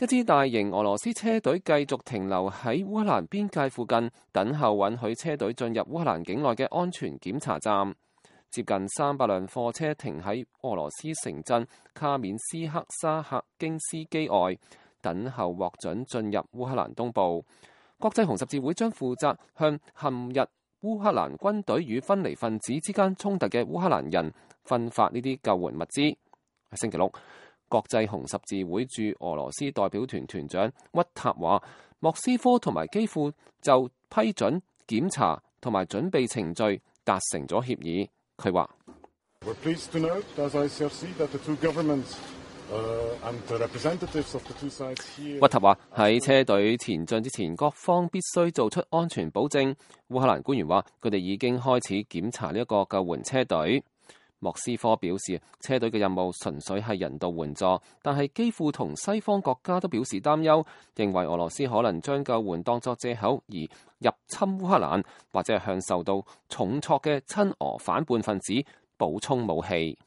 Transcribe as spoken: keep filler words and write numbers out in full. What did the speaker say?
一支大型俄羅斯車隊繼續停留喺烏克蘭邊界附近，等候允許車隊進入烏克蘭境內嘅安全檢查站。接近三百輛貨車停喺俄羅斯城鎮卡緬斯克沙克京斯基外，等候獲准進入烏克蘭東部。國際紅十字會將負責向陷入烏克蘭軍隊與分離分子之間衝突嘅烏克蘭人分發呢啲救援物資。喺星期六，國際紅十字會駐俄羅斯代表團團長屈塔話，莫斯科同埋基輔就批准檢查同埋準備程序達成咗協議。佢話：屈塔話喺車隊前進之前，各方必須做出安全保證。烏克蘭官員話，佢哋已經開始檢查呢一個救援車隊。莫斯科表示，車隊嘅任務純粹係人道援助，但係基輔同西方國家都表示擔憂，認為俄羅斯可能將救援當作藉口而入侵烏克蘭，或者係向受到重挫嘅親俄反叛分子補充武器。